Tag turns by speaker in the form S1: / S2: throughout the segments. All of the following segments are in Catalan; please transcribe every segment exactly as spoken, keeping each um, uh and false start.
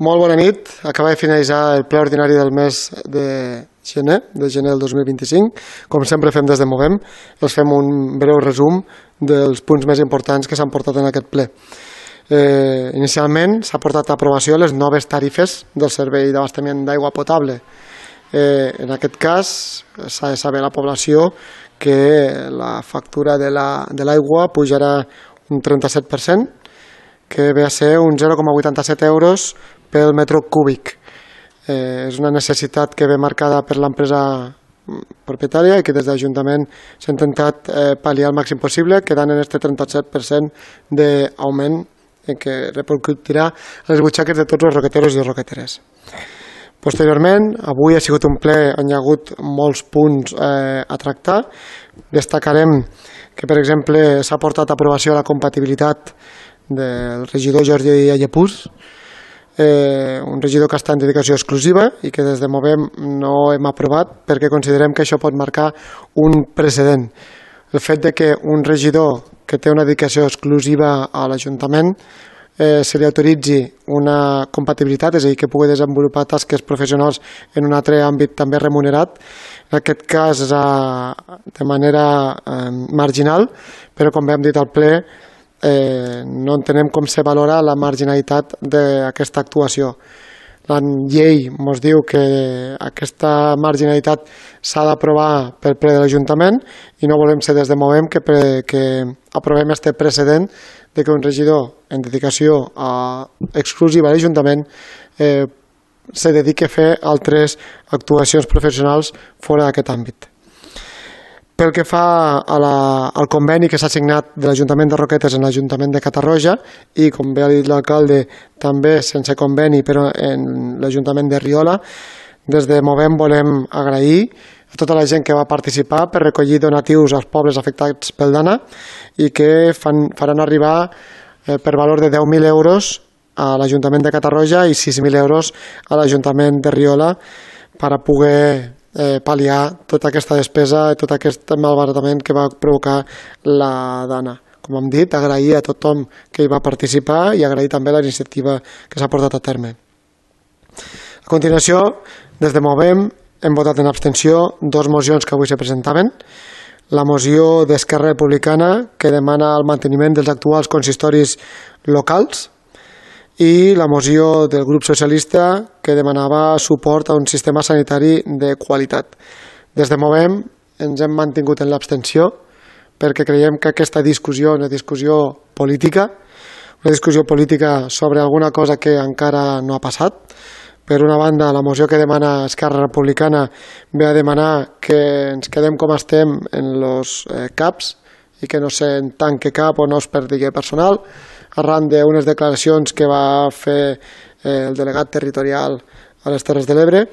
S1: Molt bona nit. Acaba de finalitzar el ple ordinari del mes de gener, de gener del dos mil vint-i-cinc. Com sempre fem des de Movem, els fem un breu resum dels punts més importants que s'han portat en aquest ple. Eh, inicialment s'ha portat a aprovació les noves tarifes del servei d'abastament d'aigua potable. Eh, en aquest cas s'ha de saber a la població que la factura de l'aigua la, pujarà un trenta-set per cent, que ve a ser un zero coma vuitanta-set euros pel metre cúbic. Eh, és una necessitat que ve marcada per l'empresa propietària i que des de l'Ajuntament s'ha intentat eh, pal·liar el màxim possible, quedant en aquest trenta-set per cent d'augment que repercutirà a les butxaques de tots els roqueteros i roqueteres. Posteriorment, avui ha sigut un ple on hi ha hagut molts punts eh, a tractar. Destacarem que, per exemple, s'ha portat a aprovació la compatibilitat del regidor Jordi Allepús, eh, un regidor que està en dedicació exclusiva i que des de Movem no hem aprovat perquè considerem que això pot marcar un precedent. El fet de que un regidor que té una dedicació exclusiva a l'Ajuntament eh, se li autoritzi una compatibilitat, és a dir, que pugui desenvolupar tasques professionals en un altre àmbit també remunerat, en aquest cas eh, de manera eh, marginal, però com hem dit al ple, Eh, no entenem com se valora la marginalitat d'aquesta actuació. La llei ens diu que aquesta marginalitat s'ha d'aprovar pel ple de l'Ajuntament i no volem ser des de Movem que, pre, que aprovem aquest precedent de que un regidor en dedicació a, exclusiva a l'Ajuntament eh, se dediqui a fer altres actuacions professionals fora d'aquest àmbit. Pel que fa a la, al conveni que s'ha signat de l'Ajuntament de Roquetes en l'Ajuntament de Catarroja i, com bé ha dit l'alcalde, també sense conveni però en l'Ajuntament de Riola, des de Movem volem agrair a tota la gent que va participar per recollir donatius als pobles afectats pel Dana i que fan, faran arribar eh, per valor de deu mil euros a l'Ajuntament de Catarroja i sis mil euros a l'Ajuntament de Riola per a poder Eh, pal·liar tota aquesta despesa i tot aquest malbaratament que va provocar la Dana. Com hem dit, agrair a tothom que hi va participar i agrair també la iniciativa que s'ha portat a terme. A continuació, des de Movem, hem votat en abstenció dues mocions que avui se presentaven. La moció d'Esquerra Republicana, que demana el manteniment dels actuals consistoris locals, i la moció del grup socialista que demanava suport a un sistema sanitari de qualitat. Des de Movem ens hem mantingut en l'abstenció perquè creiem que aquesta discussió és una discussió política, una discussió política sobre alguna cosa que encara no ha passat. Per una banda, la moció que demana Esquerra Republicana ve a demanar que ens quedem com estem en els eh, CAPs i que no se'n tanque cap o no es perdi personal, arran d'unes declaracions que va fer eh, el delegat territorial a les Terres de l'Ebre.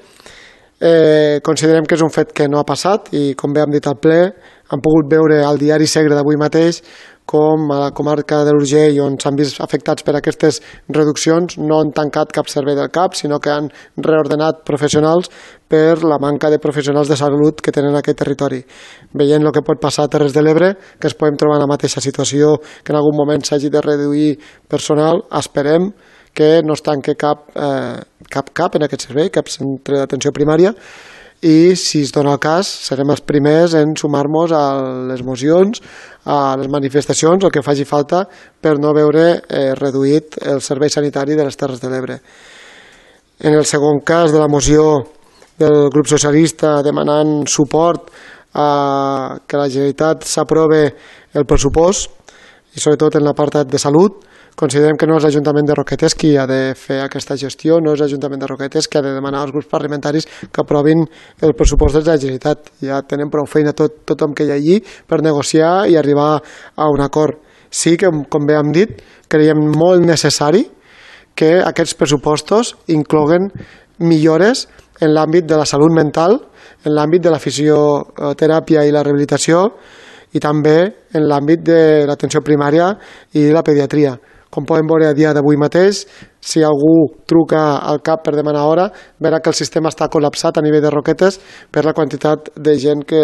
S1: Eh, considerem que és un fet que no ha passat i, com bé hem dit al ple, hem pogut veure al diari Segre d'avui mateix com a la comarca de l'Urgell, on s'han vist afectats per aquestes reduccions, no han tancat cap servei del CAP, sinó que han reordenat professionals per la manca de professionals de salut que tenen en aquest territori. Veient el que pot passar a Terres de l'Ebre, que ens podem trobar en la mateixa situació, que en algun moment s'hagi de reduir personal, esperem que no es tanqui cap, eh, cap cap en aquest servei, cap centre d'atenció primària, i si es dona el cas serem els primers en sumar-nos a les mocions, a les manifestacions, el que faci falta per no veure eh, reduït el servei sanitari de les Terres de l'Ebre. En el segon cas de la moció del grup socialista demanant suport a que la Generalitat s'aprove el pressupost i sobretot en l'apartat de salut, considerem que no és l'Ajuntament de Roquetes qui ha de fer aquesta gestió, no és l'Ajuntament de Roquetes qui ha de demanar als grups parlamentaris que aprovin el pressupost de la Generalitat. Ja tenen prou feina tot, tothom que hi ha allí per negociar i arribar a un acord. Sí que, com bé hem dit, creiem molt necessari que aquests pressupostos incloguen millores en l'àmbit de la salut mental, en l'àmbit de la fisioteràpia i la rehabilitació i també en l'àmbit de l'atenció primària i la pediatria. Com podem veure a dia d'avui mateix, si algú truca al CAP per demanar hora, verà que el sistema està col·lapsat a nivell de Roquetes per la quantitat de gent que,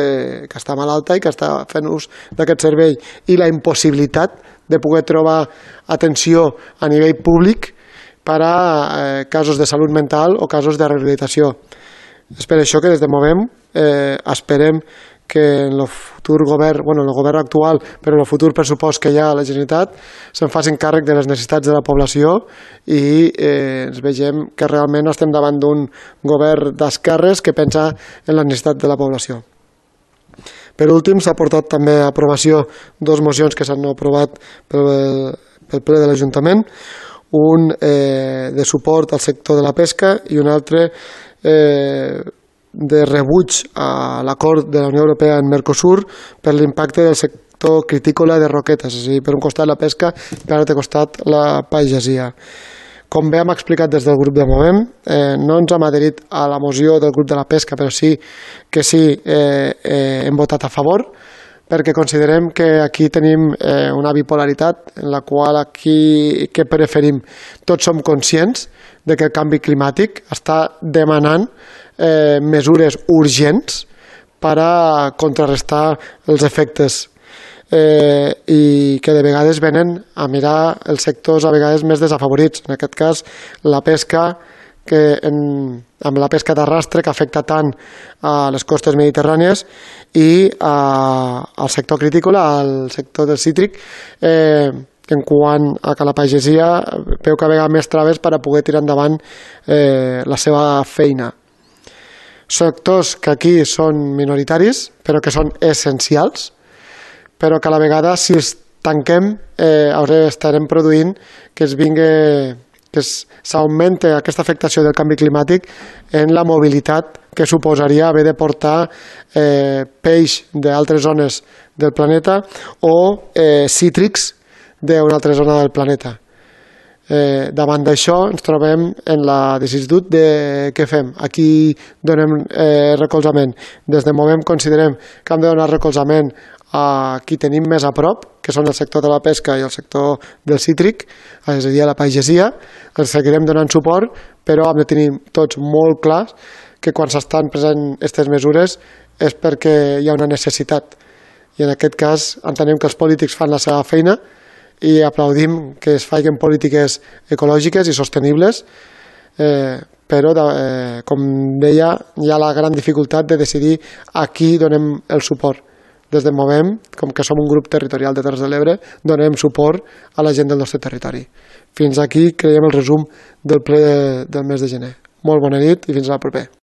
S1: que està malalta i que està fent ús d'aquest servei i la impossibilitat de poder trobar atenció a nivell públic per a eh, casos de salut mental o casos de rehabilitació. És per això que des de Movem eh, esperem que en el futur govern, bueno, en el govern actual, però en el futur pressupost que hi ha a la Generalitat, se'n facin càrrec de les necessitats de la població i eh, ens vegem que realment estem davant d'un govern d'esquerres que pensa en la necessitat de la població. Per últim, s'ha portat també a aprovació dues mocions que s'han aprovat pel, pel ple de l'Ajuntament, un eh, de suport al sector de la pesca i un altre eh, de rebuig a l'acord de la Unió Europea en Mercosur per l'impacte del sector critícola de roquetes, és a dir, per un costat la pesca i per l'altre costat la pagesia. Com bé hem explicat des del grup de Movem, eh, no ens hem adherit a la moció del grup de la pesca, però sí que sí eh, eh, hem votat a favor, perquè considerem que aquí tenim eh, una bipolaritat en la qual aquí que preferim. Tots som conscients de que el canvi climàtic està demanant eh, mesures urgents per a contrarrestar els efectes eh, i que de vegades venen a mirar els sectors a vegades més desafavorits. En aquest cas, la pesca, que en, amb la pesca d'arrastre que afecta tant a les costes mediterrànies i a, al sector critícola, al sector del cítric, eh, en quant a que la pagesia veu que vega més traves per a poder tirar endavant eh, la seva feina. Sectors que aquí són minoritaris, però que són essencials, però que a la vegada, si els tanquem, eh, estarem produint que es vingui que s'augmenti aquesta afectació del canvi climàtic en la mobilitat que suposaria haver de portar eh, peix d'altres zones del planeta o eh, cítrics d'una altra zona del planeta. Eh, davant d'això ens trobem en la decisió de què fem. Aquí donem eh, recolzament. Des de Movem considerem que hem de donar recolzament a qui tenim més a prop, que són el sector de la pesca i el sector del cítric, és a dir, a la pagesia. Els seguirem donant suport, però hem de tenir tots molt clars que quan s'estan present aquestes mesures és perquè hi ha una necessitat. I en aquest cas entenem que els polítics fan la seva feina i aplaudim que es facin polítiques ecològiques i sostenibles, eh, però, eh, com deia, hi ha la gran dificultat de decidir a qui donem el suport. Des de Movem, com que som un grup territorial de Terres de l'Ebre, donem suport a la gent del nostre territori. Fins aquí creiem el resum del ple de, del mes de gener. Molt bona nit i fins a la propera.